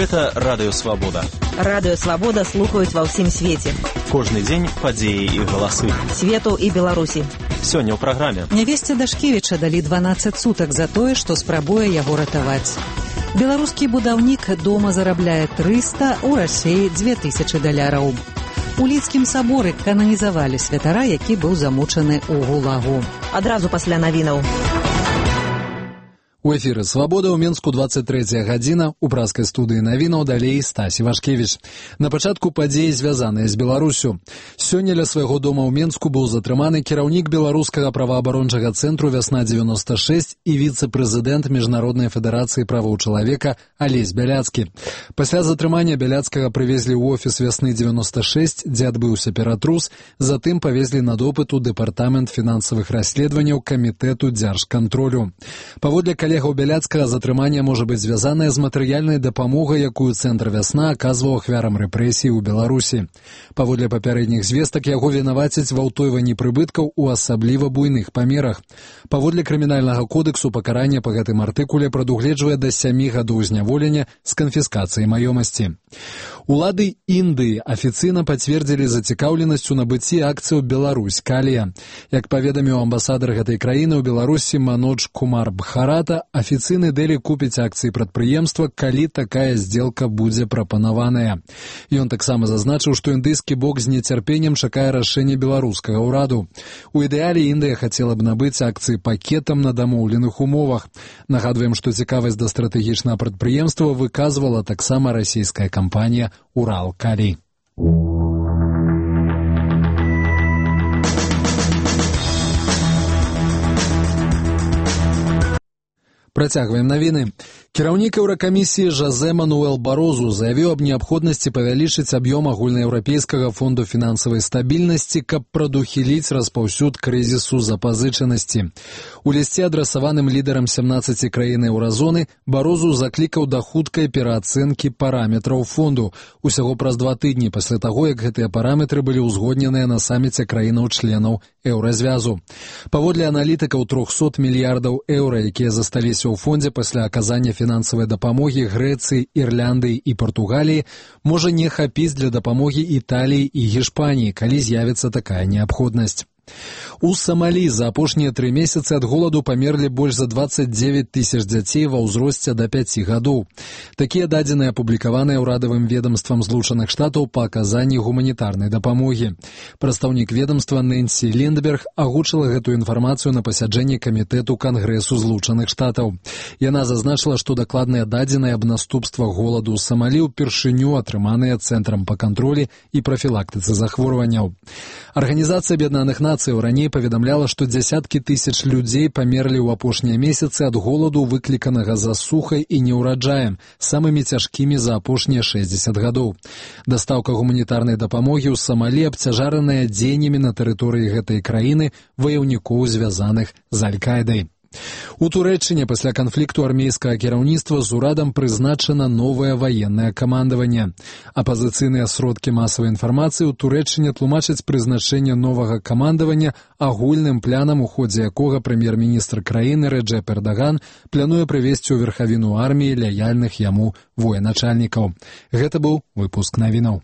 Гэта Радыё Свабода. Радыё Свабода слухаюць ва ўсім свеце. Кожны дзень падзеі і галасы. Свету і Беларусі. Сёння ў праграме. Нявесце Дашкевіча далі 12 сутак за тое, што спрабуе яго ратаваць. Беларускі будаўнік дома зарабляе 300, у Расіі $2000. У Лідскім саборы кананізавалі святара, які быў замучаны ў гулагу. Адразу пасля навінаў. У эфіры «Свабода» ў Менску 23 гадзіна. У праскай студыі навінаў далей Стась Івашкевіч. На пачатку падзеі, звязаныя з Беларусю. Сёння ля свайго дома ў Менску быў затрыманы кіраўнік беларускага праваабарончага цэнтру «Вясна-96» і віцэ-прэзідэнт Міжнароднай федэрацыі правоў чалавека Алесь Бяляцкі. Пасля затрымання Бяляцкага прывезлі ў офіс «Вясны-96», дзе адбыўся ператрус, затым павезлі на допыт у дэпартамент фінансавых расследаванняў камітэту дзяржкантролю. Паводле калегаў Бяляцкага затрыманне можа быць звязанае з матэрыяльнай дапамогай, якую цэнтр «Вясна» аказваў ахвярам рэпрэсій у Беларусі. Паводле папярэдніх звестак яго вінавацяць ва ўтойванні прыбыткаў у асабліва буйных памерах. Паводле крымінальнага кодексу пакаранне па гэтым артыкуле прадугледжвае да 7 гадоў зняволення з канфіскацыяй маёмасці. Улады Індыі афіцыйна пацвердзілі зацікаўленасць у набыцці акцыяў «Беларусь Калія». Як паведаміў амбасадар гэтай краіны ў Беларусі Манодж Кумар Бхарата, афіцыйны Дэлі купіць акцыі прадпрыемства, калі такая здзелка будзе прапанаваная. Ён таксама зазначыў, што індыйскі бок з нецярпеннем чакае рашэння беларускага ўраду. У ідэале Індыя хацела б набыць акцыі пакетам на дамоўленых умовах. Нагадваем, што цікавасць да стратэгічнага прадпрыемства выказвала таксама расійская кампанія «Урал-Калі». Працягваем навіны. Кіраўнік Еўракамісіі Жозе Мануэл Барозу заявіў аб неабходнасці павялічыць аб'ём агульнаеўрапейскага фонду фінансавай стабільнасці, каб прадухіліць распаўсюд крызісу запазычанасці. У лісце, адрасаваным лідарам 17 краін еўразоны, Барозу заклікаў да хуткай пераацэнкі параметраў фонду. Усяго праз 2 тыдні пасля таго, як гэтыя параметры былі ўзгодненыя на саміце краінаў-членаў еўразвязу. Паводле аналітыкаў, 300 мільярдаў еўра, якія засталіся ў фондзе пасля аказання фінансавай дапамогі Грэцыі, Ірландыі і Партугаліі, можа не хапіць для дапамогі Італіі і Гішпаніі, калі з'явіцца такая неабходнасць. У Самалі за апошнія 3 месяцы ад голаду памерлі больш за 29 тысяч дзяцей ва ўзросце да 5 гадоў. Такія дадзеныя апублікаваныя ўрадавым ведамствам Злучаных Штатаў па аказанні гуманітарнай дапамогі. Прадстаўнік ведамства Нэнсі Ліндберг агучыла гэтую інфармацыю на пасяджэнні камітэту Кангрэсу Злучаных Штатаў. Яна зазначыла, што дакладныя дадзеныя аб наступствах голаду ў Самалі ўпершыню атрыманыя Цэнтрам па кантролі і прафілактыцы захворванняў. Арганізацыя Аб'яднаных Нацый раней паведамляла, што дзясяткі тысяч людзей памерлі ў апошнія месяцы ад голаду, выкліканага засухай і неўраджаем, самымі цяжкімі за апошнія 60 гадоў. Дастаўка гуманітарнай дапамогі ў Самалі абцяжараная дзеяннямі на тэрыторыі гэтай краіны ваяўнікоў, звязаных з Аль-Кайдай. У Турэччыне пасля канфлікту армейскага кіраўніцтва з урадам прызначана новае ваеннае камандаванне. Апазіцыйныя сродкі масавай інфармацыі ў Турэччыне тлумачаць прызначэнне новага камандавання агульным планам, у ходзе якога прэм'ер-міністр краіны Рэджэп Эрдаган плануе прывесці ў верхавіну арміі лаяльных яму военачальнікаў. Гэта быў выпуск навінаў.